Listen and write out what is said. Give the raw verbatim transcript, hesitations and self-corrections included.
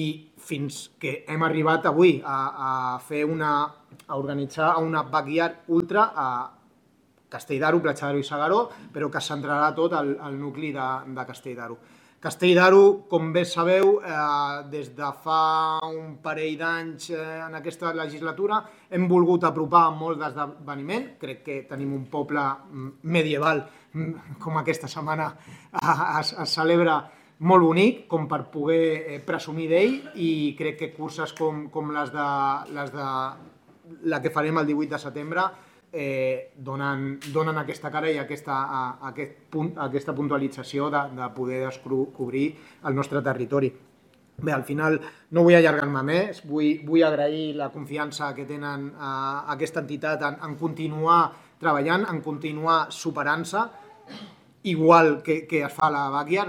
i fins que hem arribat avui a, a fer una, a organitzar una backyard ultra a Castell d'Aro, Platja d'Aro i S'Agaró, però que es centrarà tot al, al nucli de, de Castell d'Aro. Castell d'Aro, com bé sabeu, eh, des de fa un parell d'anys eh, en aquesta legislatura hem volgut apropar molt d'esdeveniment. Crec que tenim un poble medieval, com aquesta setmana es, es celebra, molt bonic, com per poder presumir d'ell, i crec que curses com, com les, de, les de la que farem el divuit de setembre eh, donen, donen aquesta cara i aquesta, a, aquest punt, aquesta puntualització de, de poder descobrir el nostre territori. Bé, al final no vull allargar-me més, vull, vull agrair la confiança que tenen a, a aquesta entitat en, en continuar treballant, en continuar superant-se, igual que, que es fa a la backyard.